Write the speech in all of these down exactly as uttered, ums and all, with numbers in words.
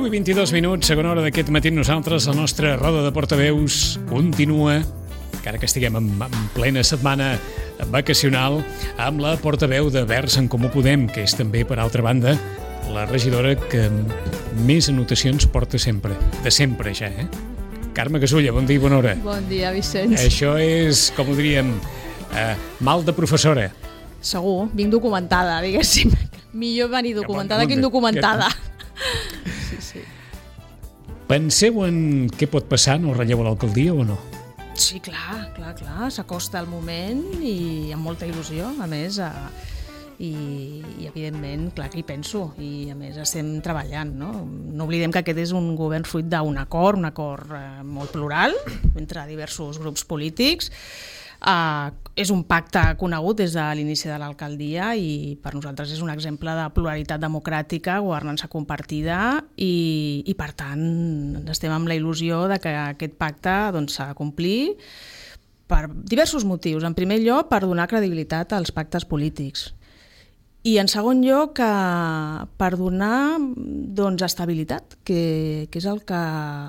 deu i vint-i-dos minuts, segona hora d'aquest matí. Nosaltres, la nostra roda de portaveus continua, encara que estiguem en, en plena setmana vacacional, amb la portaveu de Verds en Comú Podem, que és també, per altra banda, la regidora que més anotacions porta sempre, de sempre ja, eh? Carme Casulla, bon dia i bona hora. Bon dia, Vicenç. Això és, com ho diríem, eh, mal de professora. Segur, vinc documentada, diguéssim. Millor venir documentada que indocumentada. Sí, sí. Penseu en què pot passar en el relleu a l'alcaldia o no? Sí, clar, clar, clar. S'acosta el moment i amb molta il·lusió, a més, a... I, i evidentment, clar que hi penso, i a més estem treballant, no? No oblidem que aquest és un govern fruit d'un acord, un acord eh, molt plural entre diversos grups polítics. Eh, és un pacte conegut des de l'inici de l'alcaldia i per nosaltres és un exemple de pluralitat democràtica, governança compartida i, i per tant estem amb la il·lusió de que aquest pacte doncs, s'ha de complir per diversos motius. En primer lloc, per donar credibilitat als pactes polítics. I en segon lloc, per donar doncs, estabilitat, que, que és el que,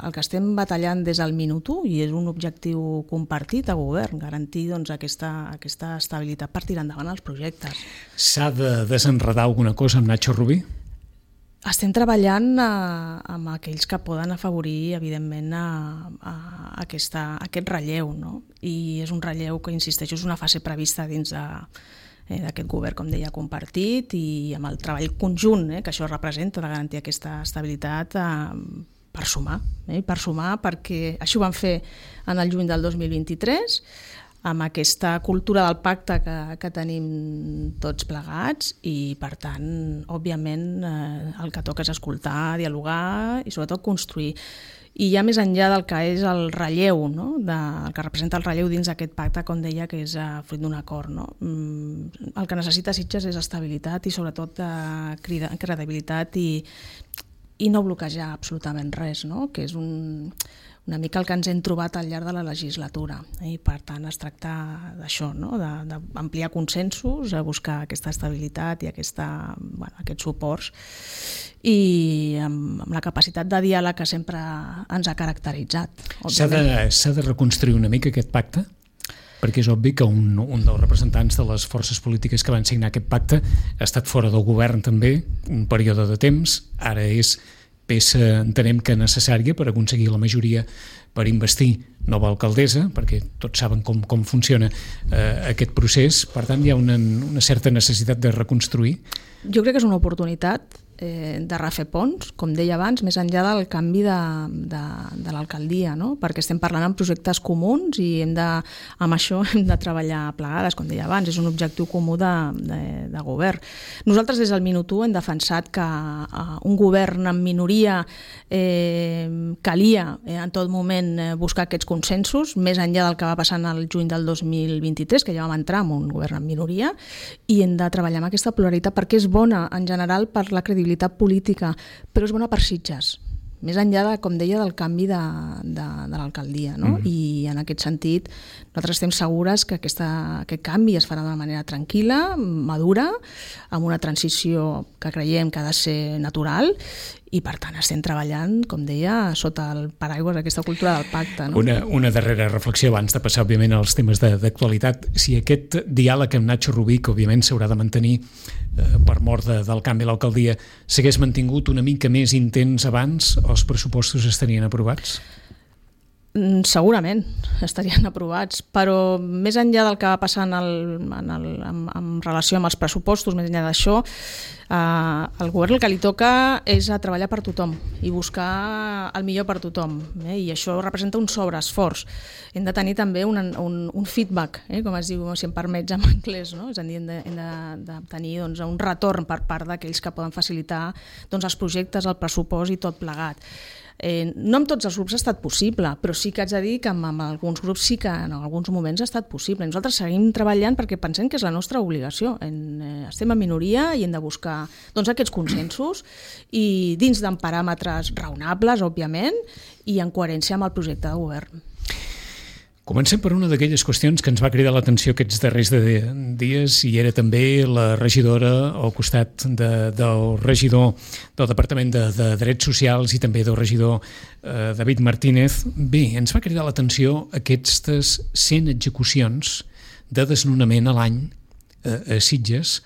el que estem batallant des del minut u i és un objectiu compartit a govern, garantir doncs, aquesta, aquesta estabilitat per tirar endavant els projectes. S'ha de desenredar alguna cosa amb Nacho Rubí? Estem treballant eh, amb aquells que poden afavorir, evidentment, a, a aquesta, a aquest relleu, no? I és un relleu que, insisteixo, és una fase prevista dins de d'aquest govern, com deia, compartit i amb el treball conjunt eh, que això representa de garantir aquesta estabilitat eh, per sumar, eh, per sumar perquè així ho vam fer en el juny del dos mil vint-i-tres amb aquesta cultura del pacte que, que tenim tots plegats i per tant, òbviament eh, el que toca és escoltar, dialogar i sobretot construir. I ja més enllà del que és el relleu, no? de, el que representa el relleu dins d'aquest pacte, com deia, que és uh, fruit d'un acord. No? Mm, el que necessita Sitges és estabilitat i sobretot uh, credibilitat i, i no bloquejar absolutament res, no? Que és un, una mica el que ens hem trobat al llarg de la legislatura. Eh? I per tant es tracta d'això, no? d'ampliar consensos, a buscar aquesta estabilitat i aquesta, bueno, aquests suports i amb, amb la capacitat de diàleg que sempre ens ha caracteritzat. S'ha de, s'ha de reconstruir una mica aquest pacte? Perquè és obvi que un, un dels representants de les forces polítiques que van signar aquest pacte ha estat fora del govern també un període de temps, ara és peça, entenem que necessària per aconseguir la majoria per investir nova alcaldessa, perquè tots saben com, com funciona eh, aquest procés, per tant hi ha una, una certa necessitat de reconstruir. Jo crec que és una oportunitat eh, de refer ponts, com deia abans, més enllà del canvi de, de, de l'alcaldia, no? Perquè estem parlant en projectes comuns i hem de, amb això hem de treballar plegades, com deia abans, és un objectiu comú de, de, de govern. Nosaltres des del minut u hem defensat que eh, un govern en minoria eh, calia eh, en tot moment eh, buscar aquests consensos, més enllà del que va passar el juny del dos mil vint-i-tres, que ja vam entrar en un govern en minoria, i hem de treballar amb aquesta pluralitat perquè és bona en general per la credibilitat política, però és bona per Sitges, més enllà de, com deia, del canvi de, de, de l'alcaldia, no? Mm. I en aquest sentit nosaltres estem segures que aquesta, aquest canvi es farà d'una manera tranquil·la, madura, amb una transició que creiem que ha de ser natural i per tant estem treballant, com deia, sota el paraigua d'aquesta cultura del pacte. No? Una, una darrera reflexió abans de passar, òbviament, als temes de, d'actualitat. Si aquest diàleg amb Nacho Rubí, que òbviament s'haurà de mantenir eh, per mort de, del canvi a l'alcaldia, s'hagués mantingut una mica més intens abans, els pressupostos estarien aprovats? Segurament estarien aprovats, però més enllà del que va passar en el, en, el, en, en relació amb els pressupostos, més enllà d'això, eh, el govern el que li toca és a treballar per tothom i buscar el millor per tothom, eh? I això representa un sobreesforç. Hem de tenir també un, un, un feedback, eh? Com es diu, si em permets en anglès, no? És a dir, hem de, hem de, de tenir doncs, un retorn per part d'aquells que poden facilitar doncs, els projectes, el pressupost i tot plegat. Eh, no amb tots els grups ha estat possible, però sí que haig de dir que amb, amb alguns grups sí que en alguns moments ha estat possible. Nosaltres seguim treballant perquè pensem que és la nostra obligació. En, eh, estem en minoria i hem de buscar doncs, aquests consensos i dins d'en paràmetres raonables, òbviament, i en coherència amb el projecte de govern. Comencem per una d'aquelles qüestions que ens va cridar l'atenció aquests darrers de dies i era també la regidora al costat de, del regidor del Departament de, de Drets Socials i també del regidor eh, David Martínez. Bé, ens va cridar l'atenció aquestes cent execucions de desnonament a l'any eh, a Sitges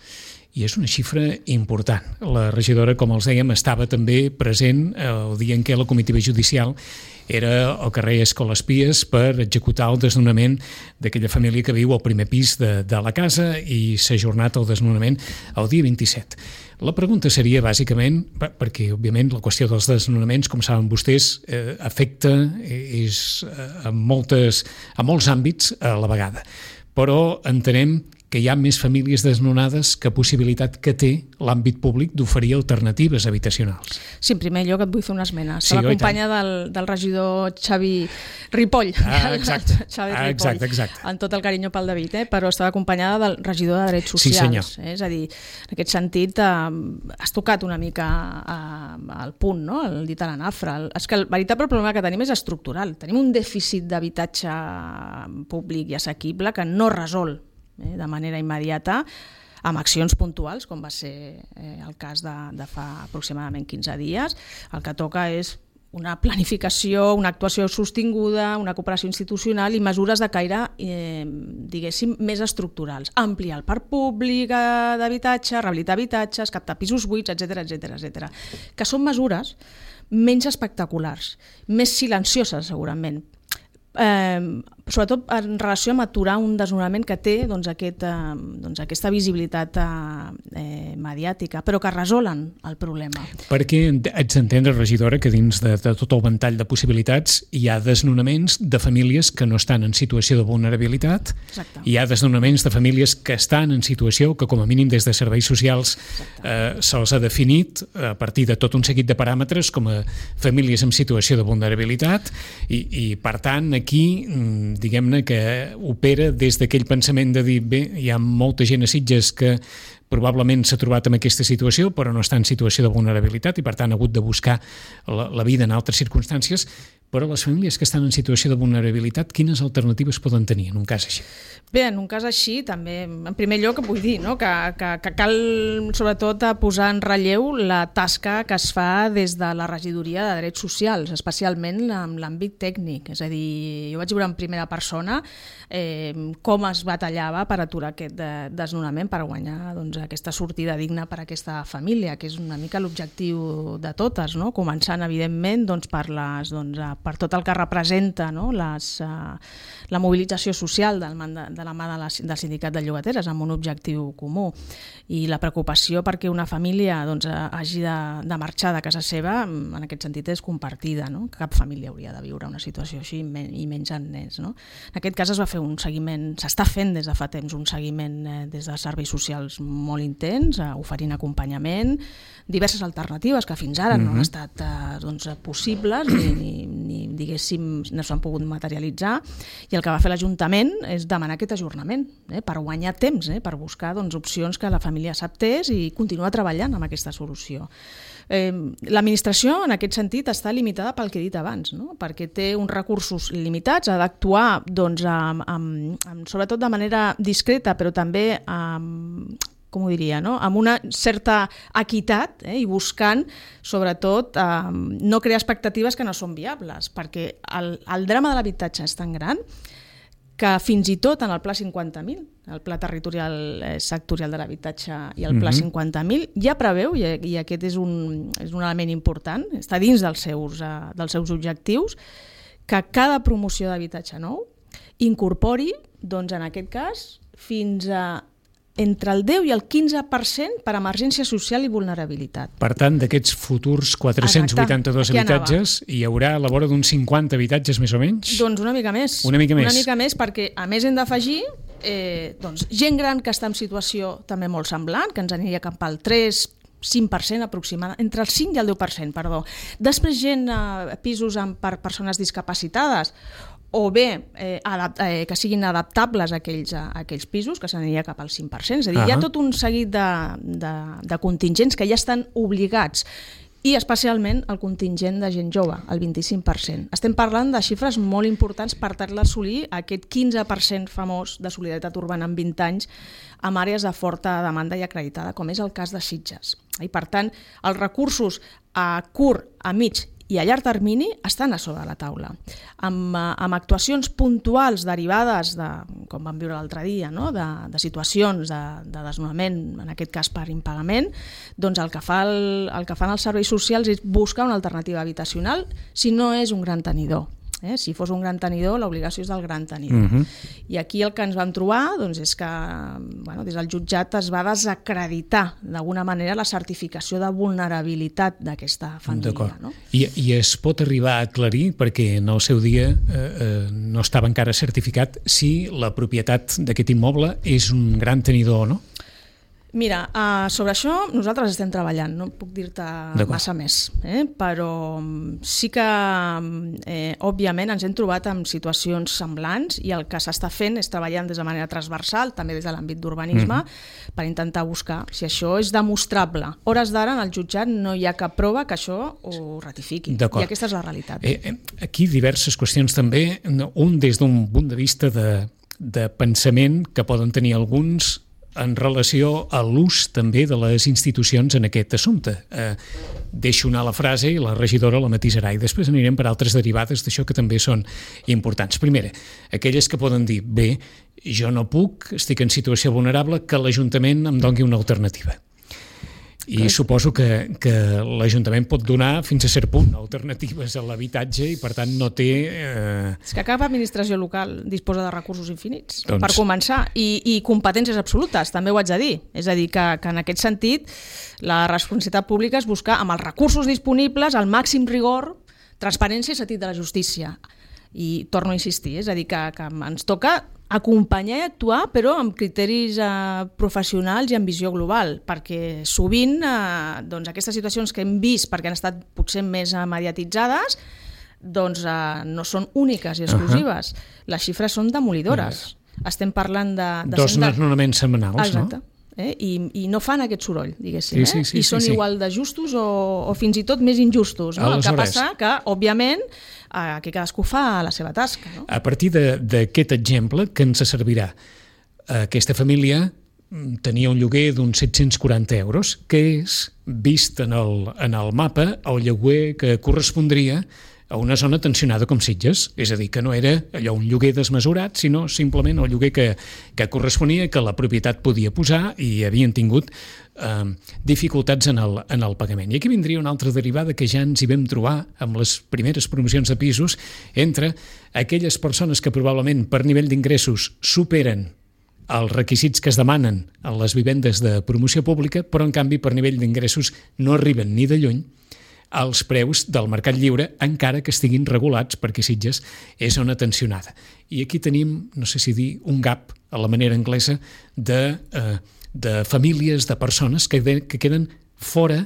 i és una xifra important. La regidora, com els dèiem, estava també present el dia en què la comitiva judicial era al carrer Escoles Pies per executar el desnonament d'aquella família que viu al primer pis de, de la casa i s'ha ajornat el desnonament el dia vint-i-set. La pregunta seria bàsicament, perquè òbviament la qüestió dels desnonaments, com saben vostès, eh, afecta és, eh, a, moltes, a molts àmbits a la vegada, però entenem que hi ha més famílies desnonades que possibilitat que té l'àmbit públic d'oferir alternatives habitacionals. Sí, en primer lloc et vull fer una esmena. Sí, Estava acompanya del, del regidor Xavi Ripoll. Ah, exacte. Xavi ah, Ripoll, exacte, exacte. amb tot el carinyo pel David, eh? Però estava acompanyada del regidor de Drets Socials. Sí, senyor. Eh? És a dir, en aquest sentit, eh, has tocat una mica eh, al punt, no? El dit a la nafra. El, és que el veritable problema que tenim és estructural. Tenim un dèficit d'habitatge públic i assequible que no resol Eh, de manera immediata amb accions puntuals, com va ser eh, el cas de, de fa aproximadament quinze dies. El que toca és una planificació, una actuació sostinguda, una cooperació institucional i mesures de caire, eh, diguéssim, més estructurals. Ampliar el parc públic d'habitatge, rehabilitar habitatges, captar pisos buits, etcètera, etcètera, etcètera. Que són mesures menys espectaculars, més silencioses, segurament, Eh, sobretot en relació amb aturar un desnonament que té doncs, aquest, eh, doncs, aquesta visibilitat eh, mediàtica, però que resolen el problema. Perquè ets d'entendre, regidora, que dins de, de tot el ventall de possibilitats hi ha desnonaments de famílies que no estan en situació de vulnerabilitat. Exacte. Hi ha desnonaments de famílies que estan en situació que com a mínim des de serveis socials eh, se'ls ha definit a partir de tot un seguit de paràmetres com a famílies en situació de vulnerabilitat i, i per tant aquí, diguem-ne que opera des d'aquell pensament de dir, bé, hi ha molta gent a Sitges que probablement s'ha trobat en aquesta situació però no està en situació de vulnerabilitat i per tant ha hagut de buscar la, la vida en altres circumstàncies, però les famílies que estan en situació de vulnerabilitat, quines alternatives poden tenir en un cas així? Bé, en un cas així també, en primer lloc vull dir no? que, que, que cal sobretot posar en relleu la tasca que es fa des de la regidoria de Drets Socials, especialment en l'àmbit tècnic, és a dir, jo vaig veure en primera persona eh, com es batallava per aturar aquest desnonament, per guanyar doncs, aquesta sortida digna per a aquesta família, que és una mica l'objectiu de totes, no? Començant evidentment doncs, per, les, doncs, per tot el que representa no? Les, uh, la mobilització social del, de la mà de la, del sindicat de llogateres amb un objectiu comú i la preocupació perquè una família doncs, hagi de, de marxar de casa seva en aquest sentit és compartida, no? Cap família hauria de viure una situació així i menys en nens, no? En aquest cas es va fer un seguiment, s'està fent des de fa temps un seguiment eh, des de serveis socials molt intens, eh, oferint acompanyament, diverses alternatives que fins ara mm-hmm. no han estat eh, doncs, possibles ni, ni, ni diguéssim no s'han pogut materialitzar i el que va fer l'Ajuntament és demanar aquest ajornament eh, per guanyar temps, eh, per buscar doncs, opcions que la família acceptés i continuar treballant amb aquesta solució. Eh, l'administració en aquest sentit està limitada pel que he dit abans, no? Perquè té uns recursos limitats, ha d'actuar doncs, amb, amb, amb, sobretot de manera discreta però també amb com ho diria, no? Amb una certa equitat eh, i buscant, sobretot, eh, no crear expectatives que no són viables, perquè el, el drama de l'habitatge és tan gran que fins i tot en el Pla cinquanta mil, el Pla Territorial eh, Sectorial de l'Habitatge i el Pla mm-hmm. cinquanta mil, ja preveu, i, i aquest és un, és un element important, està dins dels seus, eh, dels seus objectius, que cada promoció d'habitatge nou incorpori, doncs, en aquest cas, fins a entre el deu i el quinze per cent per emergència social i vulnerabilitat. Per tant, d'aquests futurs quatre-cents vuitanta-dos Exacte. Habitatges, hi haurà a la vora d'uns cinquanta habitatges més o menys? Doncs una mica més. Una mica més. Una mica més perquè, a més, hem d'afegir eh, doncs, gent gran que està en situació també molt semblant, que ens aniria cap al tres cinc per cent aproximadament, entre el cinc i el deu per cent, perdó. Després gent a pisos amb, per persones discapacitades o bé eh, adapt, eh, que siguin adaptables a aquells, a aquells pisos, que s'aniria cap al cinc per cent. És a dir, uh-huh. hi ha tot un seguit de, de, de contingents que ja estan obligats i especialment el contingent de gent jove, el vint-i-cinc per cent. Estem parlant de xifres molt importants per tal d'assolir aquest quinze per cent famós de solidaritat urbana en vint anys amb àrees de forta demanda i acreditada, com és el cas de Sitges. I per tant, els recursos a curt, a mig i a llarg termini estan a sobre la taula, amb, amb actuacions puntuals derivades de, com vam viure l'altre dia, no? de, de situacions de, de desnonament, en aquest cas per impagament, doncs el que, fa el, el que fan els serveis socials és buscar una alternativa habitacional si no és un gran tenidor. Eh? Si fos un gran tenidor, l'obligació és del gran tenidor. Uh-huh. I aquí el que ens vam trobar doncs, és que bueno, des del jutjat es va desacreditar d'alguna manera la certificació de vulnerabilitat d'aquesta família. No? I, I es pot arribar a aclarir, perquè en el seu dia eh, eh, no estava encara certificat, si la propietat d'aquest immoble és un gran tenidor o no? Mira, uh, sobre això nosaltres estem treballant, no puc dir-te massa més, eh? Però sí que, eh, òbviament, ens hem trobat en situacions semblants i el que s'està fent és treballant des de manera transversal, també des de l'àmbit d'urbanisme, mm. per intentar buscar si això és demostrable. Hores d'ara, en el jutjat, no hi ha cap prova que això ho ratifiqui. I aquesta és la realitat. Eh, aquí diverses qüestions també, un des d'un punt de vista de, de pensament que poden tenir alguns en relació a l'ús també de les institucions en aquest assumpte. Eh, deixo anar la frase i la regidora la matisarà i després anirem per altres derivades d'això que també són importants. Primera, aquelles que poden dir, bé, jo no puc, estic en situació vulnerable, que l'Ajuntament em doni una alternativa. I okay. suposo que, que l'Ajuntament pot donar fins a cert punt alternatives a l'habitatge i per tant no té... Eh... És que cap administració local disposa de recursos infinits, doncs... per començar, i, i competències absolutes, també ho haig de dir. És a dir, que, que en aquest sentit la responsabilitat pública és buscar amb els recursos disponibles el màxim rigor, transparència i sentit de la justícia. I torno a insistir, és a dir, que, que ens toca acompanyar i actuar, però amb criteris eh, professionals i amb visió global, perquè sovint eh, doncs aquestes situacions que hem vist, perquè han estat potser més eh, mediatitzades, doncs eh, no són úniques i exclusives. Uh-huh. Les xifres són demolidores. Uh-huh. Estem parlant de... de Dos desnonaments setmanals, exacte. No? Eh? I, i no fan aquest soroll, diguéssim, sí, sí, sí, eh? I sí, són sí, igual de justos o, o fins i tot més injustos. No? El que passa que, òbviament, eh, que cadascú fa la seva tasca. No? A partir d'aquest exemple, que ens servirà? Aquesta família tenia un lloguer d'uns set-cents quaranta euros, que és, vist en el, en el mapa, el lloguer que correspondria a una zona tensionada com Sitges, és a dir, que no era allò un lloguer desmesurat, sinó simplement el lloguer que, que corresponia, que la propietat podia posar i havien tingut eh, dificultats en el, en el pagament. I aquí vindria una altra derivada que ja ens hi vam trobar amb les primeres promocions de pisos entre aquelles persones que probablement per nivell d'ingressos superen els requisits que es demanen a les vivendes de promoció pública, però en canvi per nivell d'ingressos no arriben ni de lluny als preus del mercat lliure, encara que estiguin regulats, perquè Sitges és zona tensionada. I aquí tenim, no sé si dir, un gap, a la manera anglesa, de, eh, de famílies, de persones que, de, que queden fora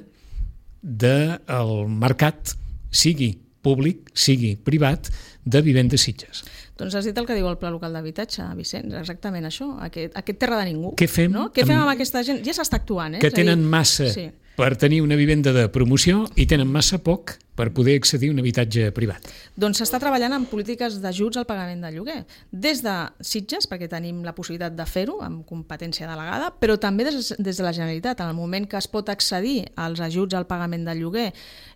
del mercat, sigui públic, sigui privat, de vivendes Sitges. Doncs has dit el que diu el Pla Local d'Habitatge, Vicenç, exactament això, aquest, aquest terra de ningú. Què fem, no? Què fem amb, amb aquesta gent? Ja s'està actuant, eh? Que tenen massa... Sí. Per tenir una vivenda de promoció i tenen massa poc per poder accedir a un habitatge privat. Doncs s'està treballant en polítiques d'ajuts al pagament del lloguer. Des de Sitges, perquè tenim la possibilitat de fer-ho amb competència delegada, però també des, des de la Generalitat. En el moment que es pot accedir als ajuts al pagament del lloguer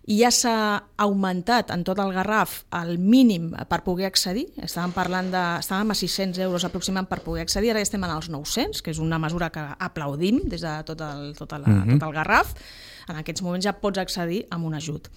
i ja s'ha augmentat en tot el Garraf el mínim per poder accedir, estàvem parlant de, estàvem a sis-cents euros aproximant per poder accedir, ara ja estem als nou-cents, que és una mesura que aplaudim des de tot el, tot el, uh-huh. tot el Garraf. En aquests moments ja pots accedir amb un ajut.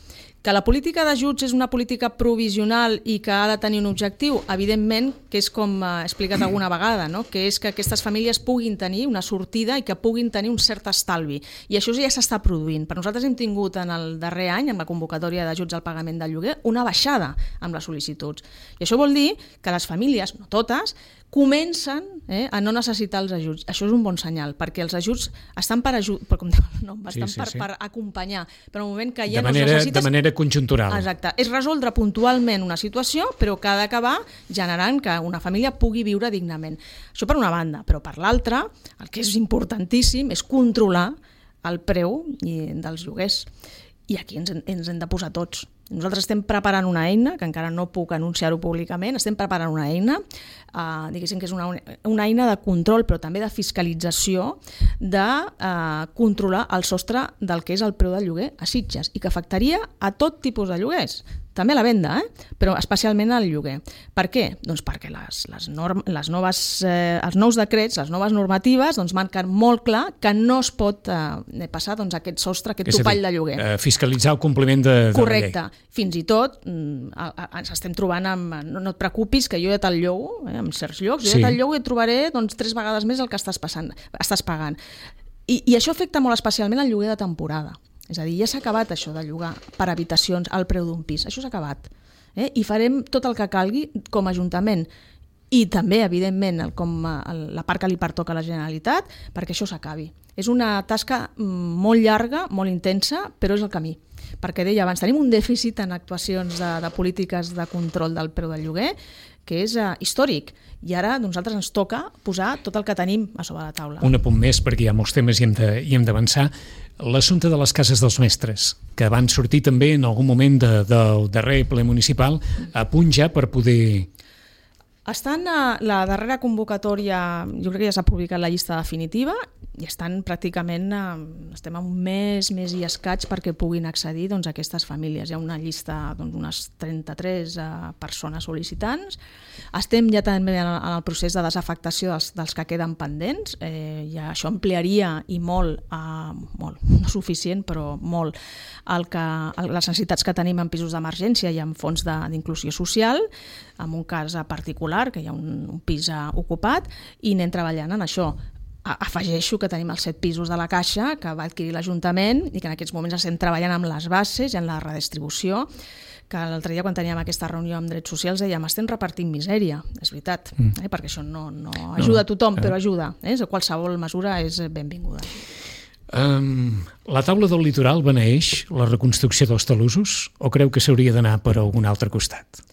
Que la política d'ajuts és una política provisional i que ha de tenir un objectiu, evidentment, que és com he explicat alguna vegada, no? Que és que aquestes famílies puguin tenir una sortida i que puguin tenir un cert estalvi. I això ja s'està produint. Per nosaltres hem tingut en el darrer any, amb la convocatòria d'ajuts al pagament del lloguer, una baixada amb les sol·licituds. I això vol dir que les famílies, no totes, comencen eh, a no necessitar els ajuts. Això és un bon senyal, perquè els ajuts estan per ajut, per, com diu el nom, estan sí, sí, per, sí. per acompanyar, però en un moment que ja de manera, no necessites... De manera conjuntural. Exacte. És resoldre puntualment una situació, però que ha d'acabar generant que una família pugui viure dignament. Això per una banda, però per l'altra, el que és importantíssim és controlar el preu dels lloguers. I aquí ens, ens hem de posar tots. Nosaltres estem preparant una eina, que encara no puc anunciar-ho públicament, estem preparant una eina, eh, diguéssim que és una, una eina de control, però també de fiscalització, de eh, controlar el sostre del que és el preu del lloguer a Sitges, i que afectaria a tot tipus de lloguers, també a la venda, eh? Però especialment al lloguer. Per què? Doncs perquè les, les, norm, les noves, eh, els nous decrets, les noves normatives, doncs marquen molt clar que no es pot eh, passar doncs, aquest sostre, aquest topall de lloguer. Eh, fiscalitzar el compliment de, de Correcte. la llei. Fins i tot ens estem trobant amb... No, no et preocupis, que jo ja te'l llogo, eh, en certs llocs, jo sí. ja te'l llogo i et trobaré doncs, tres vegades més el que estàs, passant, estàs pagant. I, I això afecta molt especialment el lloguer de temporada. És a dir, ja s'ha acabat això de llogar per habitacions al preu d'un pis. Això s'ha acabat. Eh? I farem tot el que calgui com a Ajuntament. I també, evidentment, el, com el, la part que li pertoca a la Generalitat, perquè això s'acabi. És una tasca molt llarga, molt intensa, però és el camí. Perquè deia abans, tenim un dèficit en actuacions de, de polítiques de control del preu del lloguer que és uh, històric. I ara a nosaltres ens toca posar tot el que tenim a sobre la taula. Un apunt més, perquè hi ha molts temes i hem de, i hem d'avançar. L'assumpte de les cases dels mestres, que van sortir també en algun moment de, del darrer ple municipal a punt ja per poder... Estan a la darrera convocatòria, jo crec que ja s'ha publicat la llista definitiva, i estan pràcticament, estem a un mes, mes i escaig perquè puguin accedir doncs, a aquestes famílies. Hi ha una llista d'unes doncs, trenta-tres uh, persones sol·licitants. Estem ja també en el procés de desafectació dels, dels que queden pendents. Eh, ja això ampliaria i molt, uh, molt, no suficient, però molt, el que, el, les necessitats que tenim en pisos d'emergència i en fons d'inclusió social, en un cas particular, que hi ha un, un pis uh, ocupat, i anem treballant en això. Afegeixo que tenim els set pisos de la Caixa que va adquirir l'Ajuntament i que en aquests moments estem treballant amb les bases i en la redistribució, que l'altre dia quan teníem aquesta reunió amb Drets Socials dèiem estem repartint misèria, és veritat, mm. eh? perquè això no, no ajuda a tothom, però ajuda, eh? qualsevol mesura és benvinguda. Um, la taula del litoral beneeix la reconstrucció dels talussos o creu que s'hauria d'anar per algun altre costat?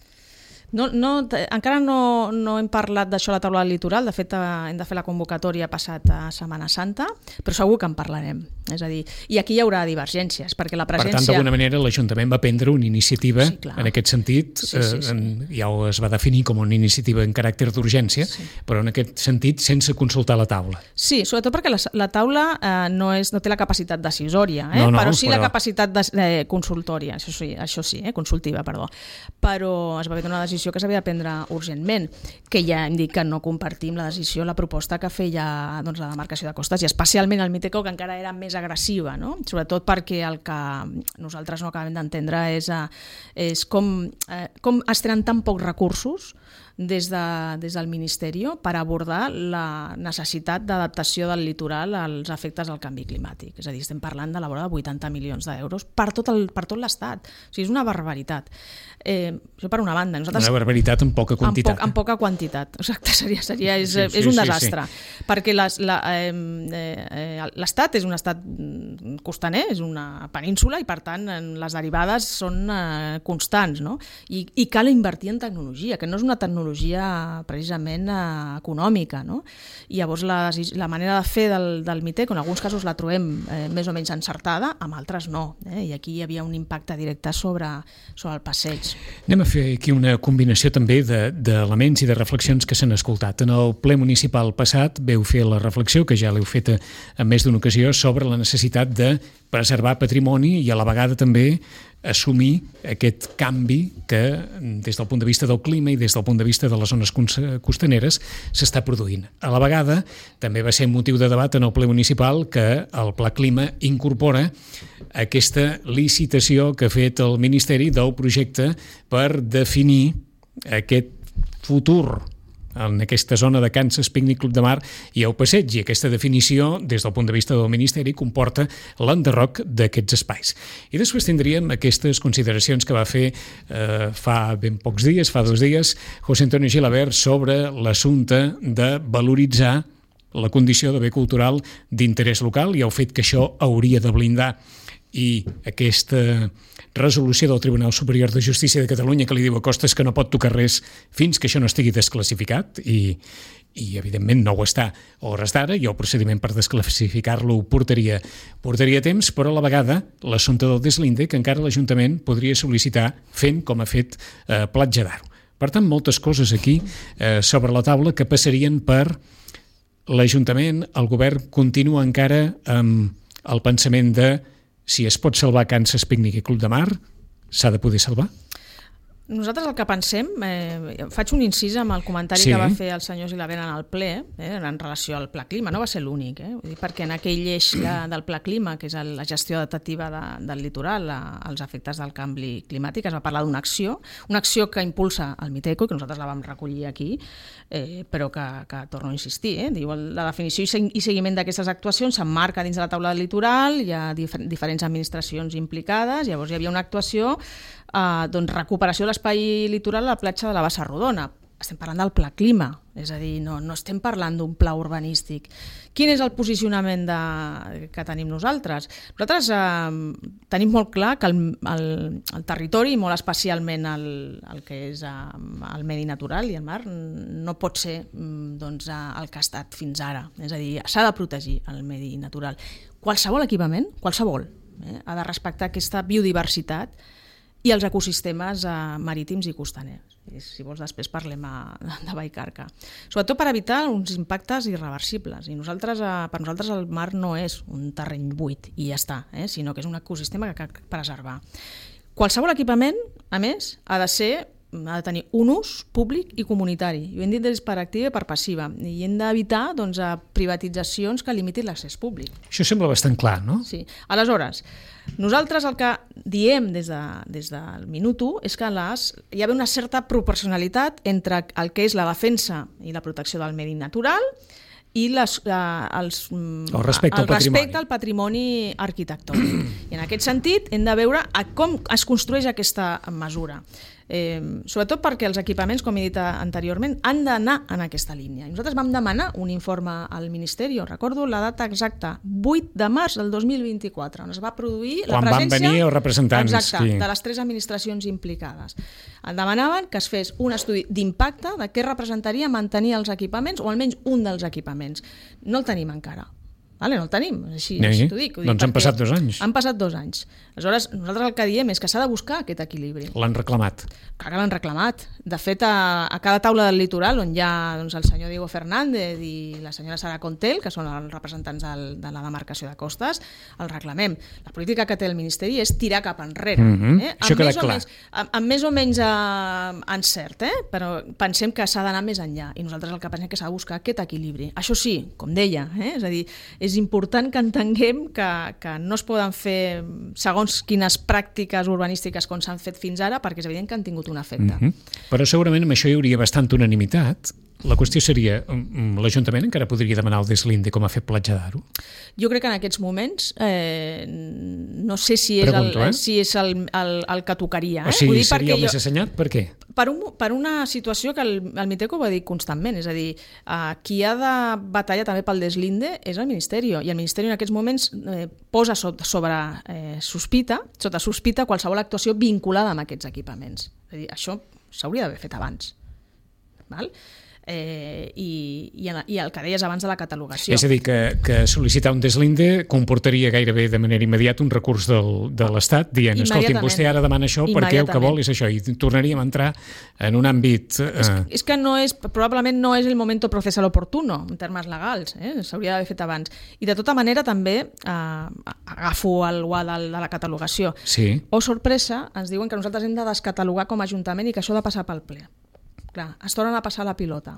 No, no, encara no, no hem parlat d'això a la taula del litoral, de fet hem de fer la convocatòria passat a Setmana Santa, però segur que en parlarem. És a dir, i aquí hi haurà divergències, perquè la presència... Per tant, d'alguna manera, l'Ajuntament va prendre una iniciativa sí, en aquest sentit, sí, sí, sí. Eh, ja es va definir com una iniciativa en caràcter d'urgència, sí. però en aquest sentit sense consultar la taula. Sí, sobretot perquè la, la taula eh, no, és, no té la capacitat decisòria, eh? no, no, però sí però... la capacitat de, de consultòria, això sí, això sí eh? consultiva, perdó. Però es va haver una decisió que s'havia de prendre urgentment, que ja hem dit que no compartim la decisió, la proposta que feia doncs, la demarcació de costes, i especialment el Miteco, que encara era més agressiva, no? Sobretot perquè el que nosaltres no acabem d'entendre és, és com, eh, com es tenen tan pocs recursos des, de, des del Ministeri per abordar la necessitat d'adaptació del litoral als efectes del canvi climàtic. És a dir, estem parlant de la vora de vuitanta milions d'euros per tot el, per tot l'Estat. O sigui, és una barbaritat. Eh, això per una banda. Nosaltres, una barbaritat en poca quantitat. En, poc, en poca quantitat, exacte, seria, seria, és, sí, sí, és un sí, desastre. Sí, sí. Perquè les, la, eh, eh, l'Estat és un estat costaner, és una península, i per tant les derivades són eh, constants, no? I, i cal invertir en tecnologia, que no és una tecnologia precisament eh, econòmica, no? I llavors la, la manera de fer del, del Miteco, en alguns casos la trobem eh, més o menys encertada, amb altres no, eh? I aquí hi havia un impacte directe sobre, sobre el passeig. Anem a fer aquí una combinació també d'elements de, i de reflexions que s'han escoltat. En el ple municipal passat veu fer la reflexió, que ja l'heu feta en més d'una ocasió, sobre la necessitat de preservar patrimoni i a la vegada també assumir aquest canvi que des del punt de vista del clima i des del punt de vista de les zones costaneres s'està produint. A la vegada també va ser motiu de debat en el ple municipal que el Pla Clima incorpora aquesta licitació que ha fet el Ministeri del projecte per definir aquest futur en aquesta zona de Kansas, Pícnic Club de Mar i el passeig, i aquesta definició des del punt de vista del Ministeri comporta l'enderroc d'aquests espais. I després tindríem aquestes consideracions que va fer eh, fa ben pocs dies, fa dos dies, José Antonio Gilabert sobre l'assumpte de valoritzar la condició de bé cultural d'interès local i el fet que això hauria de blindar i aquesta resolució del Tribunal Superior de Justícia de Catalunya que li diu a Costas que no pot tocar res fins que això no estigui desclassificat i, i evidentment no ho està a hores d'ara, i el procediment per desclassificar-lo portaria, portaria temps, però a la vegada l'assumpte del deslinde que encara l'Ajuntament podria sol·licitar fent com ha fet eh, Platja d'Aro. Per tant, moltes coses aquí eh, sobre la taula que passarien per l'Ajuntament. El govern continua encara amb el pensament de si es pot salvar Kansas Picnic i Club de Mar, s'ha de poder salvar? Nosaltres el que pensem, eh, faig un incís amb el comentari sí. que va fer el senyor Gilabert en el ple, eh, en relació al Pla Clima, no va ser l'únic, eh? Vull dir, perquè en aquell eix de, del Pla Clima, que és el, la gestió adaptativa de, del litoral a, als efectes del canvi climàtic, es va parlar d'una acció, una acció que impulsa el Miteco, que nosaltres la vam recollir aquí, eh, però que, que torno a insistir, eh? Diu, la definició i seguiment d'aquestes actuacions s'emmarca dins de la taula del litoral, hi ha difer diferents administracions implicades, llavors hi havia una actuació Uh, doncs recuperació de l'espai litoral a la platja de la Bassa Rodona. Estem parlant del Pla Clima, és a dir, no, no estem parlant d'un pla urbanístic. Quin és el posicionament de, que tenim nosaltres? Nosaltres eh, tenim molt clar que el, el, el territori, i molt especialment el, el que és eh, el medi natural i el mar, no pot ser doncs, el que ha estat fins ara. És a dir, s'ha de protegir el medi natural. Qualsevol equipament, qualsevol, eh, ha de respectar aquesta biodiversitat i els ecosistemes eh, marítims i costaners. I si vols després parlem a, de Vallcarca. Sobretot per evitar uns impactes irreversibles. I nosaltres, eh, per nosaltres el mar no és un terreny buit i ja està, eh, sinó que és un ecosistema que cal preservar. Qualsevol equipament, a més, ha de ser ha de tenir un ús públic i comunitari. I ho hem dit des per activa i per passiva. I hem d'evitar doncs, privatitzacions que limitin l'accés públic. Això sembla bastant clar, no? Sí. Aleshores, nosaltres el que diem des, de, des del minut u és que les, hi ha una certa proporcionalitat entre el que és la defensa i la protecció del medi natural i les, eh, els, el respecte, el al, respecte patrimoni. al patrimoni arquitectònic. I en aquest sentit hem de veure a com es construeix aquesta mesura. Eh, sobretot perquè els equipaments, com he dit anteriorment, han d'anar en aquesta línia. I nosaltres vam demanar un informe al Ministeri, recordo la data exacta, vuit de març del dos mil vint-i-quatre, on es va produir la Quan presència... van venir els representants. Exacte, qui... de les tres administracions implicades. En demanaven que es fes un estudi d'impacte de què representaria mantenir els equipaments, o almenys un dels equipaments. No el tenim encara. Vale, no el tenim, així, sí, així t'ho dic. Doncs han passat dos anys. Han passat dos anys. Aleshores, nosaltres el que diem és que s'ha de buscar aquest equilibri. L'han reclamat. Clar que l'han reclamat. De fet, a, a cada taula del litoral, on hi ha doncs, el senyor Diego Fernández i la senyora Sara Contel, que són els representants del, de la demarcació de Costes, el reclamem. La política que té el Ministeri és tirar cap enrere. Mm-hmm. eh? Això queda clar. Menys, amb, amb més o menys eh, encert, eh? Però pensem que s'ha d'anar més enllà i nosaltres el que pensem que s'ha de buscar aquest equilibri. Això sí, com deia, eh? és a dir, és important que entenguem que, que no es poden fer segons quines pràctiques urbanístiques com s'han fet fins ara, perquè és evident que han tingut un efecte. Mm-hmm. Però segurament amb això hi hauria bastanta unanimitat. La qüestió seria, l'Ajuntament encara podria demanar el deslinde com ha fet Platja d'Aro? Jo crec que en aquests moments eh, no sé si és, Pregunto, el, eh? si és el, el, el que tocaria. Eh? O sigui, Vull dir seria el jo... més assenyat? Per què? Per, un, per una situació que el, el Miteco va dir constantment, és a dir, eh, qui ha de batallar també pel deslinde és el Ministeri, i el Ministeri en aquests moments eh, posa sobre, sobre eh, sospita, sota sospita qualsevol actuació vinculada amb aquests equipaments. És a dir, això s'hauria d'haver fet abans. Val? Eh, i, i, i el que deies abans de la catalogació. És a dir, que, que sol·licitar un deslinde comportaria gairebé de manera immediata un recurs del, de l'Estat dient, escolti'm, vostè ara demana això perquè el que vol és això, i tornaríem a entrar en un àmbit... Eh... És, és que no és, probablement no és el moment processal oportuno en termes legals, eh? S'hauria d'haver fet abans. I de tota manera també eh, agafo el guà de la catalogació. Sí. O sorpresa, ens diuen que nosaltres hem de descatalogar com a Ajuntament i que això ha de passar pel ple. Clar, es tornen a passar la pilota.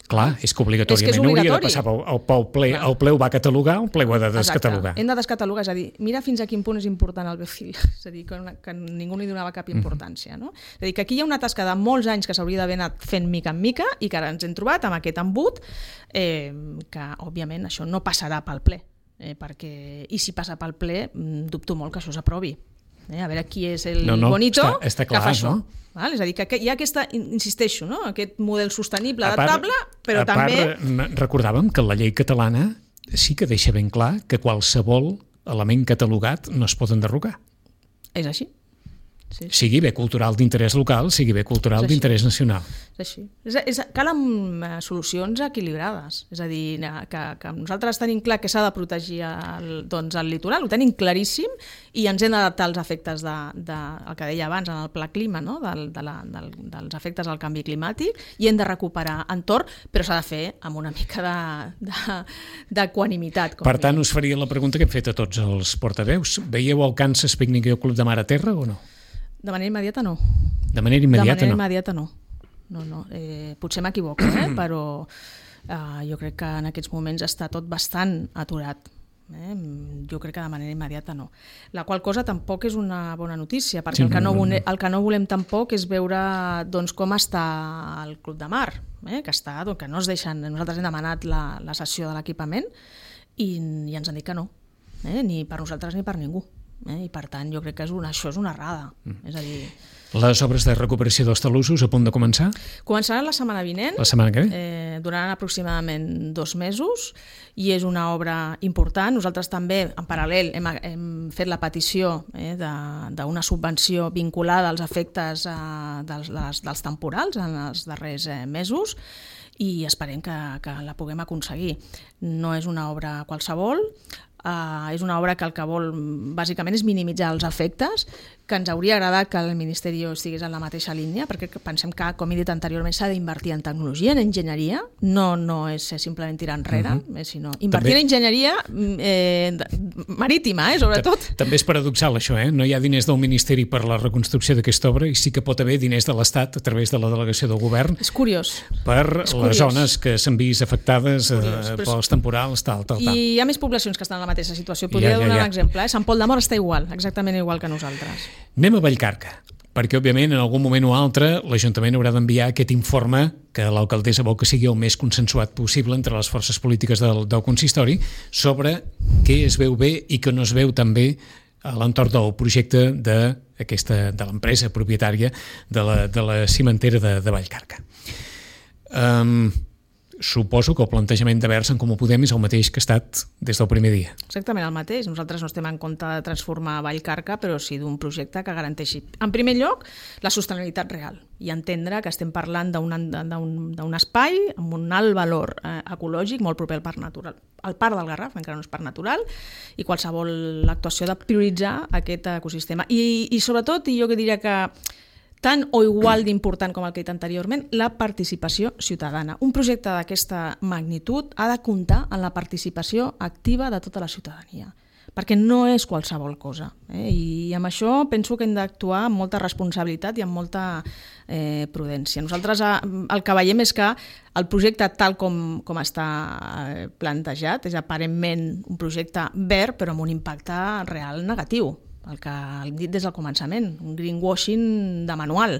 Clar, és que obligatòriament és que és hauria de passar pel, pel ple. Clar. El ple ho va catalogar, el ple ho ha de descatalogar. Exacte. Hem de descatalogar, és a dir, mira fins a quin punt és important el B F I L, és a dir, que, una, que ningú li donava cap importància. No? És a dir, que aquí hi ha una tasca de molts anys que s'hauria d'haver anat fent mica en mica i que ara ens hem trobat amb aquest embut, eh, que òbviament això no passarà pel ple, eh, perquè, i si passa pel ple, dubto molt que això s'aprovi. Eh, a veure qui és el no, no, bonito està, està clar, que fa això. No? Val? És a dir, que hi ha aquesta, insisteixo, no? Aquest model sostenible, adaptable, però a part, també... recordàvem que la llei catalana sí que deixa ben clar que qualsevol element catalogat no es pot enderrocar. És així. Sí, sí. Sigui bé cultural d'interès local, sigui bé cultural d'interès nacional. És així. És, és, calen solucions equilibrades. És a dir, que, que nosaltres tenim clar que s'ha de protegir el, doncs, el litoral, ho tenim claríssim, i ens hem d'adaptar als efectes de, de, el que deia abans, en el pla clima, no? del, de la, del, dels efectes del canvi climàtic, i hem de recuperar entorn, però s'ha de fer amb una mica d'equanimitat. Per tant, us faria la pregunta que hem fet a tots els portaveus. Veieu el Kansas Picnic i el Club de Mar a Terra o no? De manera immediata no. De manera immediata, de manera no. immediata no. no, no. Eh, potser m'equivoco, eh? però eh, jo crec que en aquests moments està tot bastant aturat. Eh? Jo crec que de manera immediata no. La qual cosa tampoc és una bona notícia, perquè sí, el, que no, el que no volem tampoc és veure doncs, com està el Club de Mar, eh? que, està, doncs, que no es deixen. Nosaltres hem demanat la, la sessió de l'equipament i, i ens han dit que no, eh? ni per nosaltres ni per ningú. Eh? I per tant jo crec que és una, això és una errada. Mm. És a dir... Les obres de recuperació dels talussos a punt de començar? Començaran la setmana vinent, la setmana que ve? Eh, duraran aproximadament dos mesos i és una obra important. Nosaltres també, en paral·lel, hem, hem fet la petició eh, d'una subvenció vinculada als efectes eh, dels, les, dels temporals en els darrers eh, mesos i esperem que, que la puguem aconseguir. No és una obra qualsevol, Uh, és una obra que el que vol bàsicament és minimitzar els efectes, que ens hauria agradat que el Ministeri estigués en la mateixa línia, perquè pensem que, com he dit anteriorment, s'ha d'invertir en tecnologia, en enginyeria, no, no és simplement tirar enrere, uh-huh. eh, sinó invertir també... en enginyeria eh, marítima, eh, sobretot. També és paradoxal això, eh? No hi ha diners del Ministeri per la reconstrucció d'aquesta obra i sí que pot haver diners de l'Estat a través de la delegació del govern. És curiós. Per és les curiós. zones que s'han vist afectades curiós, eh, pels temporals, tal, tal, tal. I hi ha més poblacions que estan en la mateixa situació. Podria ja, ja, donar ja. un exemple. Eh? Sant Pol de Mar està igual, exactament igual que nosaltres. Anem a Vallcarca, perquè òbviament en algun moment o altre l'Ajuntament haurà d'enviar aquest informe que l'alcaldessa vol que sigui el més consensuat possible entre les forces polítiques del, del consistori sobre què es veu bé i què no es veu tan bé a l'entorn del projecte de, aquesta, de l'empresa propietària de la, de la cimentera de, de Vallcarca. Um, Suposo que el plantejament de Verds en Comú Podem és el mateix que ha estat des del primer dia. Exactament el mateix. Nosaltres no estem en compte de transformar Vallcarca, però sí d'un projecte que garanteixi, en primer lloc, la sostenibilitat real i entendre que estem parlant d'un espai amb un alt valor eh, ecològic molt proper al parc natural. El parc del Garraf encara no és parc natural i qualsevol actuació de prioritzar aquest ecosistema. I, i sobretot, i jo que diria que tant o igual d'important com el que he dit anteriorment, la participació ciutadana. Un projecte d'aquesta magnitud ha de comptar en la participació activa de tota la ciutadania, perquè no és qualsevol cosa. Eh? I amb això penso que hem d'actuar amb molta responsabilitat i amb molta eh, prudència. Nosaltres el que veiem és que el projecte tal com, com està plantejat és aparentment un projecte verd però amb un impacte real negatiu. El que hem dit des del començament, un greenwashing de manual.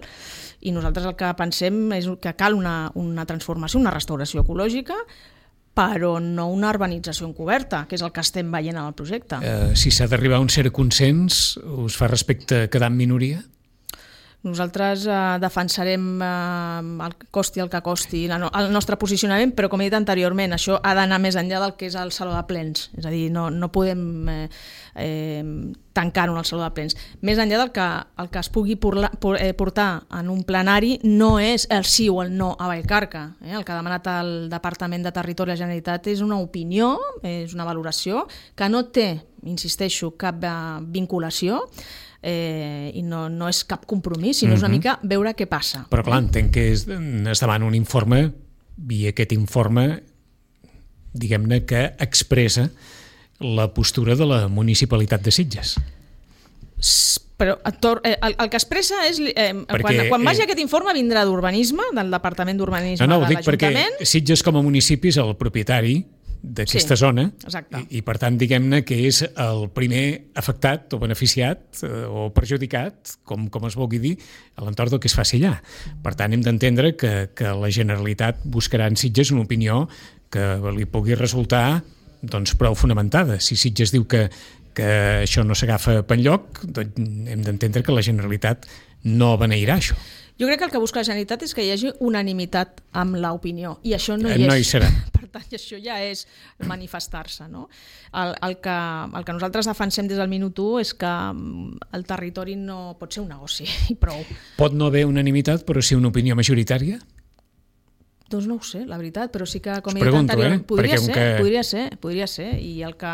I nosaltres el que pensem és que cal una, una transformació, una restauració ecològica, però no una urbanització encoberta, que és el que estem veient en el projecte. Uh, si s'ha d'arribar a un cert consens, us fa respecte a quedar en minoria? Nosaltres eh, defensarem eh, el costi el que costi la no, el nostre posicionament, però com he dit anteriorment, això ha d'anar més enllà del que és el saló de plens. És a dir, no, no podem eh, eh, tancar-ho en el saló de plens. Més enllà del que el que es pugui porla, por, eh, portar en un plenari no és el sí o el no a Vallcarca. Eh? El que ha demanat el Departament de Territori i la Generalitat és una opinió, és una valoració que no té, insisteixo, cap eh, vinculació, Eh, i no, no és cap compromís, sinó uh-huh. és una mica veure què passa. Però clar, entenc que es, es demana un informe i aquest informe, diguem-ne, que expressa la postura de la municipalitat de Sitges. Però el, el que expressa és eh, perquè, quan, quan vagi eh, aquest informe vindrà d'urbanisme, del Departament d'Urbanisme no, no, de l'Ajuntament. Perquè Sitges com a municipi és el propietari d'aquesta sí, zona i, i per tant diguem-ne que és el primer afectat o beneficiat eh, o perjudicat, com, com es vulgui dir, a l'entorn del que es faci allà. Per tant hem d'entendre que, que la Generalitat buscarà en Sitges una opinió que li pugui resultar doncs, prou fonamentada. Si Sitges diu que, que això no s'agafa per enlloc, doncs hem d'entendre que la Generalitat no beneirà això. Jo crec que el que busca la Generalitat és que hi hagi unanimitat amb l'opinió, i això no hi no és. Hi serà. Per tant, i això ja és manifestar-se, no? El, el, que, el que nosaltres defensem des del minut u és que el territori no pot ser un negoci, i prou. Pot no haver unanimitat, però sí una opinió majoritària? Doncs no ho sé, la veritat, però sí que, com Us he dit pregunto, anteriorment, eh? podria, ser, que... podria ser, podria ser, i el que,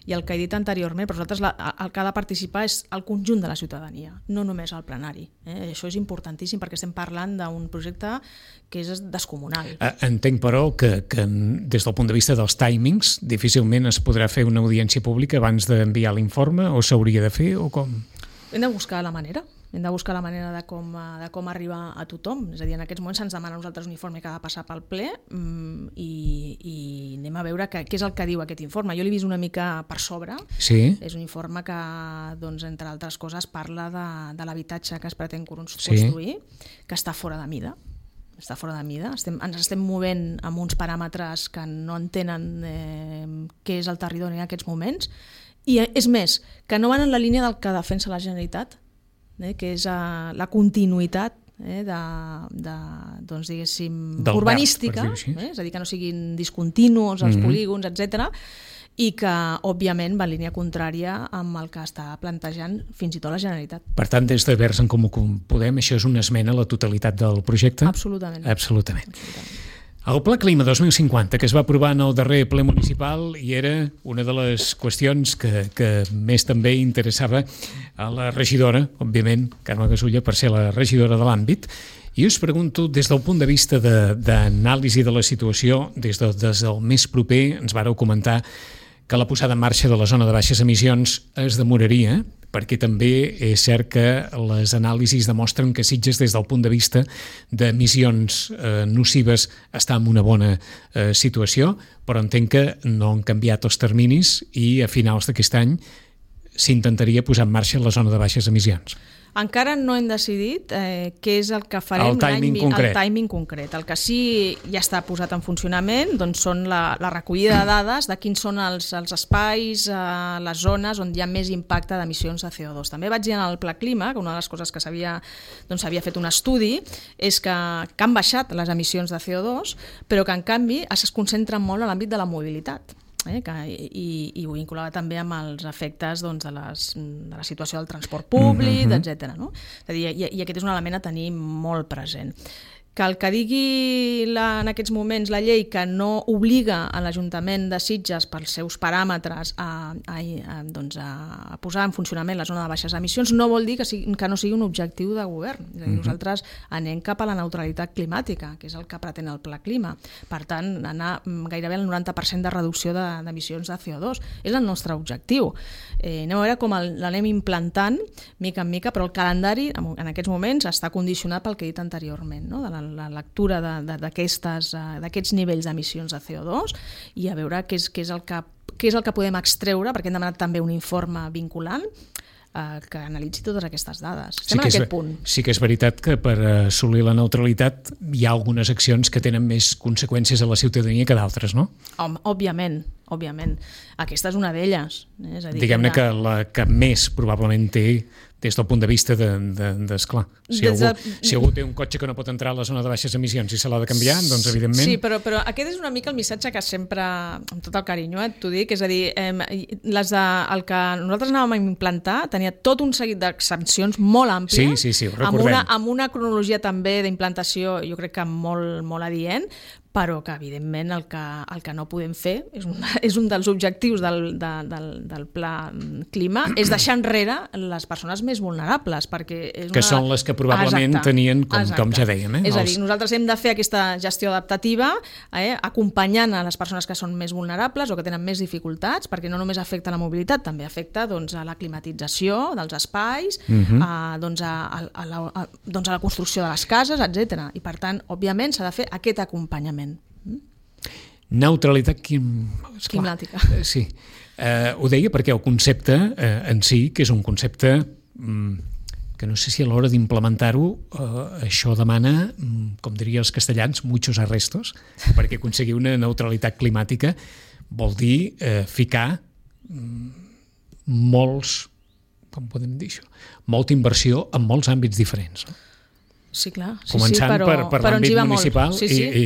i el que he dit anteriorment, però nosaltres la, el que ha de participar és el conjunt de la ciutadania, no només el plenari. Eh? Això és importantíssim perquè estem parlant d'un projecte que és descomunal. Entenc, però, que, que des del punt de vista dels timings difícilment es podrà fer una audiència pública abans d'enviar l'informe, o s'hauria de fer, o com? Hem de buscar la manera. Hem de buscar la manera de com, de com arribar a tothom. És a dir, en aquests moments se'ns demana a nosaltres un informe que ha de passar pel ple mmm, i, i anem a veure què és el que diu aquest informe. Jo l'he vist una mica per sobre. Sí. És un informe que, doncs, entre altres coses, parla de, de l'habitatge que es pretén construir, sí. que està fora de mida. Està fora de mida. Estem, ens estem movent amb uns paràmetres que no entenen eh, què és el territori en aquests moments. I és més, que no van en la línia del que defensa la Generalitat, eh, que és uh, la continuïtat eh, de, de, doncs, diguéssim, del urbanística, verd, eh, és a dir, que no siguin discontinus els mm-hmm. polígons, etcètera, i que, òbviament, va en línia contrària amb el que està plantejant fins i tot la Generalitat. Per tant, des de Verds en Comú Podem, això és una esmena a la totalitat del projecte? Absolutament. Absolutament. Absolutament. El Pla Clima dos mil cinquanta, que es va aprovar en el darrer ple municipal, i era una de les qüestions que, que més també interessava a la regidora, òbviament, Carme Gasulla, per ser la regidora de l'àmbit. I us pregunto, des del punt de vista d'anàlisi de, de la situació, des, de, des del més proper, ens vàreu comentar que la posada en marxa de la zona de baixes emissions es demoraria, perquè també és cert que les anàlisis demostren que Sitges, des del punt de vista d'emissions eh, nocives, està en una bona eh, situació, però entenc que no han canviat els terminis i a finals d'aquest any s'intentaria posar en marxa la zona de baixes emissions. Encara no hem decidit eh, què és el que farem, el timing concret. El timing concret. El que sí ja està posat en funcionament doncs són la, la recollida de dades de quins són els, els espais, eh, les zones on hi ha més impacte d'emissions de C O dos. També vaig dir en el Pla Clima que una de les coses que s'havia doncs, fet un estudi és que, que han baixat les emissions de C O dos, però que en canvi es concentren molt en l'àmbit de la mobilitat. Eh, que, i, i ho vinculava també amb els efectes doncs, de, les, de la situació del transport públic, mm-hmm. etcètera. No? És a dir, i, i aquest és un element a tenir molt present. Que el que digui la, en aquests moments la llei que no obliga a l'Ajuntament de Sitges pels seus paràmetres a, a, a, doncs a posar en funcionament la zona de baixes emissions no vol dir que, sigui, que no sigui un objectiu de govern. És a dir, mm-hmm. nosaltres anem cap a la neutralitat climàtica, que és el que pretén el Pla Clima. Per tant, anar gairebé al noranta per cent de reducció d'emissions de, de C O dos. És el nostre objectiu. Eh, anem a veure com l'anem implantant mica en mica, però el calendari en aquests moments està condicionat pel que he dit anteriorment, no? De la la lectura d'aquests nivells d'emissions de C O dos i a veure què és, què és, el que, què és el que podem extreure, perquè hem demanat també un informe vinculant eh, que analitzi totes aquestes dades. Estem sí en aquest és, punt. Sí que és veritat que per assolir la neutralitat hi ha algunes accions que tenen més conseqüències a la ciutadania que d'altres, no? Home, òbviament, òbviament. Aquesta és una d'elles. Eh? Diguem-ne que la que més probablement té des del punt de vista de, de, d'esclar. Si, de... si algú té un cotxe que no pot entrar a la zona de baixes emissions i se l'ha de canviar, doncs evidentment... Sí, però, però aquest és una mica el missatge que sempre, amb tot el carinyo, eh, t'ho dic, és a dir, eh, les de, el que nosaltres anàvem a implantar tenia tot un seguit d'exempcions molt àmplies, sí, sí, sí, ho amb, una, amb una cronologia també d'implantació, jo crec que molt, molt adient, però que, evidentment, el que, el que no podem fer, és un, és un dels objectius del, de, del, del Pla Clima, és deixar enrere les persones més vulnerables, perquè... És una... Que són les que probablement Exacte. tenien, com, com ja dèiem. Eh? És a dir, nosaltres hem de fer aquesta gestió adaptativa, eh, acompanyant a les persones que són més vulnerables o que tenen més dificultats, perquè no només afecta la mobilitat, també afecta doncs, a la climatització dels espais, uh-huh. a, doncs, a, a, a, la, a, doncs, a la construcció de les cases, etcètera. I, per tant, òbviament, s'ha de fer aquest acompanyament. Neutralitat quim... climàtica. Sí, eh, ho deia perquè el concepte eh, en si, que és un concepte mm, que no sé si a l'hora d'implementar-ho eh, això demana, mm, com diria els castellans, muchos arrestos, perquè aconseguir una neutralitat climàtica vol dir eh, ficar mm, molts, com podem dir això, molta inversió en molts àmbits diferents. No? Sí, clar. Sí, Començant sí, però, per, per l'àmbit municipal sí, sí. i,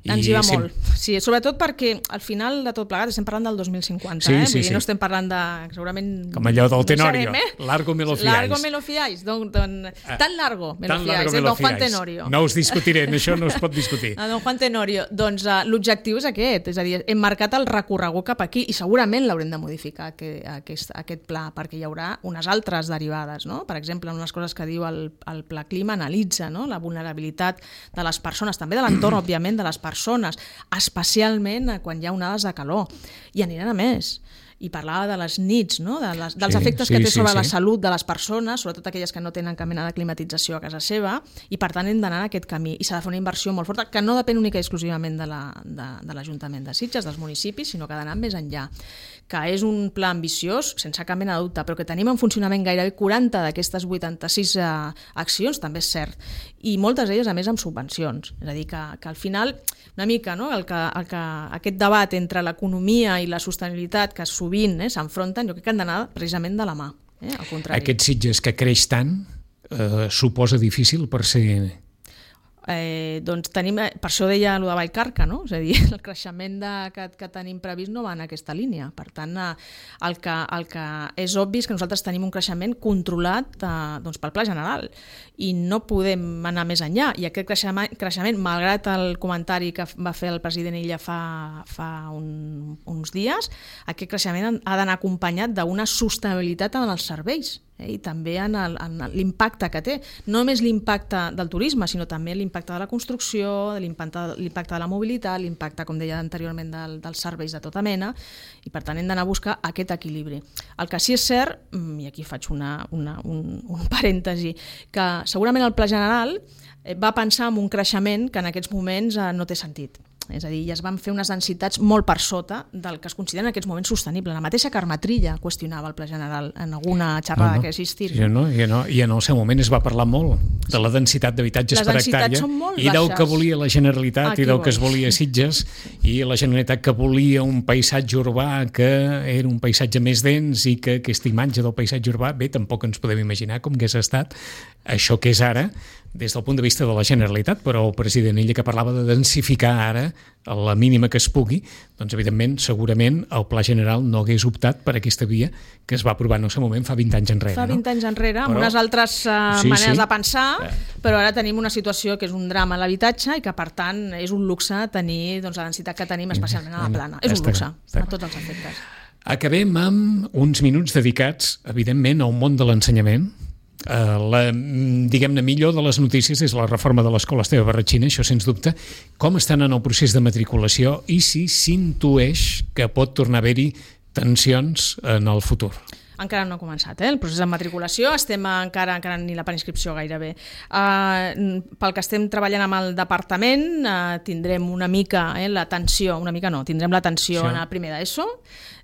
i Ens hi va sí. molt. Sí, sobretot perquè al final de tot plegat estem parlant del dos mil cinquanta, sí, eh? Sí, Vull dir, sí. no estem parlant de... segurament... Com allò del Tenorio, no sabem, eh? largo me lo fiáis. Largo me lo fiáis. Don, don, tan largo me lo fiáis, eh? Don Juan Tenorio. No us discutiré, això no es pot discutir. A Don Juan Tenorio. Doncs uh, l'objectiu és aquest, és a dir, hem marcat el recorregut cap aquí i segurament l'haurem de modificar, que, aquest, aquest pla, perquè hi haurà unes altres derivades, no? Per exemple, unes coses que diu el, el Pla Clima analitza, no? La vulnerabilitat de les persones, també de l'entorn, òbviament, de les persones, especialment quan hi ha onades de calor, i aniran a més. I parlava de les nits, no? de les, dels sí, efectes sí, que té sobre sí, la sí. salut de les persones, sobretot aquelles que no tenen cap mena de climatització a casa seva, i per tant hem d'anar en aquest camí. I s'ha de fer una inversió molt forta, que no depèn única i exclusivament de l'Ajuntament de, de, de Sitges, dels municipis, sinó que ha d'anar més enllà. Que és un pla ambiciós, sense cap mena de dubte, però que tenim en funcionament gairebé quaranta d'aquestes vuitanta-sis eh, accions, també és cert. I moltes d'elles, a més, amb subvencions. És a dir, que, que al final, una mica, no? el que, el que, aquest debat entre l'economia i la sostenibilitat que sovint eh, s'enfronten, jo crec que han d'anar precisament de la mà. Eh? Al contrari. Aquest Sitges que creix tant eh, suposa difícil per ser... Eh, doncs tenim, per això deia allò de Vallcarca, no? És a dir, el creixement de, que, que tenim previst no va en aquesta línia. Per tant, el que, el que és obvi és que nosaltres tenim un creixement controlat eh, doncs pel pla general i no podem anar més enllà. I aquest creixement, creixement malgrat el comentari que va fer el president Illa fa, fa un, uns dies, aquest creixement ha d'anar acompanyat d'una sostenibilitat en els serveis. Eh, i també en l'impacte que té, no només l'impacte del turisme, sinó també l'impacte de la construcció, l'impacte de la mobilitat, l'impacte, com deia anteriorment, del, dels serveis de tota mena, i per tant hem d'anar a buscar aquest equilibri. El que sí és cert, i aquí faig una, una, un, un parèntesi, que segurament el Pla General va pensar en un creixement que en aquests moments no té sentit. És a dir, ja es van fer unes densitats molt per sota del que es considera en aquests moments sostenible. La mateixa Carme Trilla qüestionava el Pla General en alguna xerrada no, no. que ha existit. Sí, no? I, no, I en el seu moment es va parlar molt de la densitat d'habitatges per hectàrea i del que volia la Generalitat Aquí i del vols. que es volia Sitges, i la Generalitat que volia un paisatge urbà que era un paisatge més dens i que aquesta imatge del paisatge urbà, bé, tampoc ens podem imaginar com hagués estat això que és ara des del punt de vista de la Generalitat, però el president Illa que parlava de densificar ara a la mínima que es pugui, doncs evidentment segurament el Pla General no hagués optat per aquesta via que es va aprovar en el seu moment fa vint anys enrere. Fa vint no? anys enrere, amb però, unes altres uh, sí, maneres sí. de pensar, però ara tenim una situació que és un drama a l'habitatge i que per tant és un luxe tenir doncs, la densitat que tenim especialment a la plana. És un luxe, a tots els efectes. Acabem amb uns minuts dedicats, evidentment, al món de l'ensenyament. Uh, la, diguem-ne, millor de les notícies és la reforma de l'Escola Esteve Barratxina, això sens dubte. Com estan en el procés de matriculació i si s'intueix que pot tornar a haver-hi tensions en el futur? Encara no ha començat, eh? El procés de matriculació, estem encara, encara ni la preinscripció gairebé. Uh, pel que estem treballant amb el departament, uh, tindrem una mica eh, l'atenció, una mica no, tindrem l'atenció sí. en el primer d'ESO,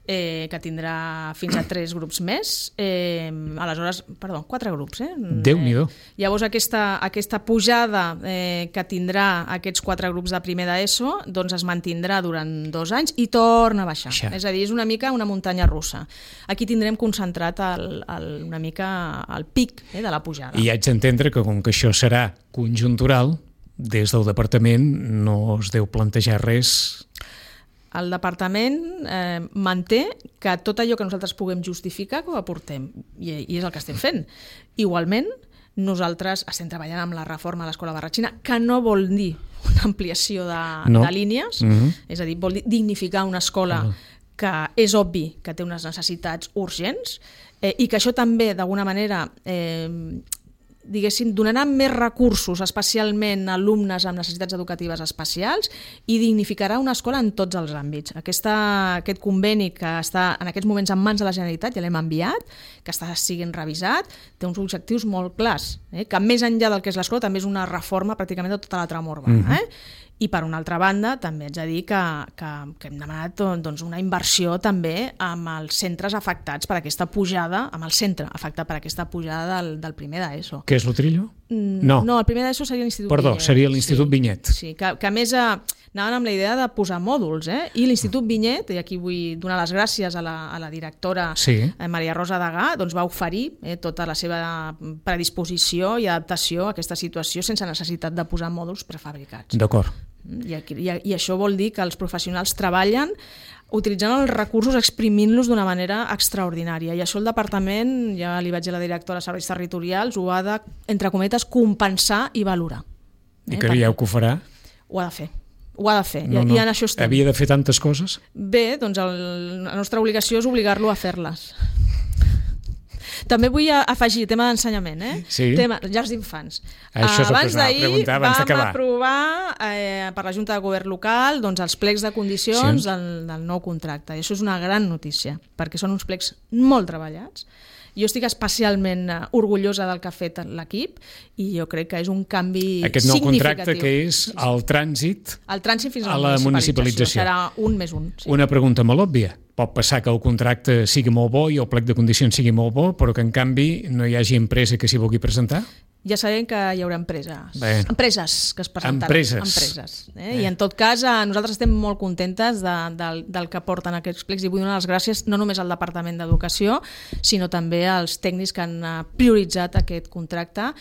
eh, que tindrà fins a tres grups més, eh, aleshores, perdó, quatre grups. Eh? Déu-n'hi-do. Eh, llavors aquesta, aquesta pujada eh, que tindrà aquests quatre grups de primer d'ESO doncs es mantindrà durant dos anys i torna a baixar. Això. És a dir, és una mica una muntanya russa. Aquí tindrem concentrat el, el, una mica el pic eh, de la pujada. I haig d'entendre que com que això serà conjuntural, des del departament no es deu plantejar res. El departament eh, manté que tot allò que nosaltres puguem justificar que ho aportem, i, i és el que estem fent. Igualment, nosaltres estem treballant amb la reforma de l'Escola Barratxina, que no vol dir una ampliació de, no. de línies, mm-hmm. és a dir, vol dir dignificar una escola ah. que és obvi que té unes necessitats urgents eh, i que això també, d'alguna manera, eh, diguéssim, donaran més recursos, especialment a alumnes amb necessitats educatives especials, i dignificarà una escola en tots els àmbits. Aquesta, aquest conveni que està en aquests moments en mans de la Generalitat, ja l'hem enviat, que està siguent revisat, té uns objectius molt clars, eh? que més enllà del que és l'escola també és una reforma pràcticament de tota la trama urbana. Mm-hmm. eh? I per una altra banda també haig de dir que, que, que hem demanat doncs, una inversió també amb els centres afectats per aquesta pujada, amb el centre afectat per aquesta pujada del, del primer d'ESO. Què és l'Utrillo? No. no, el primer d'ESO seria l'Institut Perdó, Vinyet. seria l'Institut sí, Vinyet. Sí, que, que a més eh, anaven amb la idea de posar mòduls, eh? I l'Institut Vinyet, i aquí vull donar les gràcies a la, a la directora sí. eh, Maria Rosa Degà, doncs va oferir eh, tota la seva predisposició i adaptació a aquesta situació sense necessitat de posar mòduls prefabricats. D'acord. I, aquí, i, i això vol dir que els professionals treballen utilitzant els recursos, exprimint-los d'una manera extraordinària. I això el departament, ja li vaig dir a la directora de serveis territorials, ho ha de, entre cometes, compensar i valorar. I creieu que ho farà? Ho ha de fer. Ho ha de fer, no, no. I en això estem. Havia de fer tantes coses? Bé, doncs el, la nostra obligació és obligar-lo a fer-les. També vull afegir tema d'ensenyament, eh? Sí. Tema llars d'infants. Això abans d'ahir vam d'acabar. aprovar eh, per la Junta de Govern local doncs, els plecs de condicions sí. del, del nou contracte. I això és una gran notícia, perquè són uns plecs molt treballats. Jo estic especialment orgullosa del que ha fet l'equip i jo crec que és un canvi significatiu. Aquest nou contracte que és el trànsit, el trànsit fins a la, la municipalització. municipalització. Serà un més un. Sí. Una pregunta molt òbvia. Pot passar que el contracte sigui molt bo i el plec de condicions sigui molt bo, però que en canvi no hi hagi empresa que s'hi vulgui presentar? Ja sabem que hi haurà empreses, Bé. empreses que es presentaran. Empreses. empreses eh? I en tot cas, eh, nosaltres estem molt contentes de, del, del que porten aquests plecs i vull donar les gràcies no només al Departament d'Educació, sinó també als tècnics que han prioritzat aquest contracte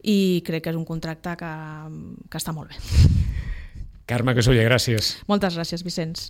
i crec que és un contracte que, que està molt bé. Carme Casolla, gràcies. Moltes gràcies, Vicenç.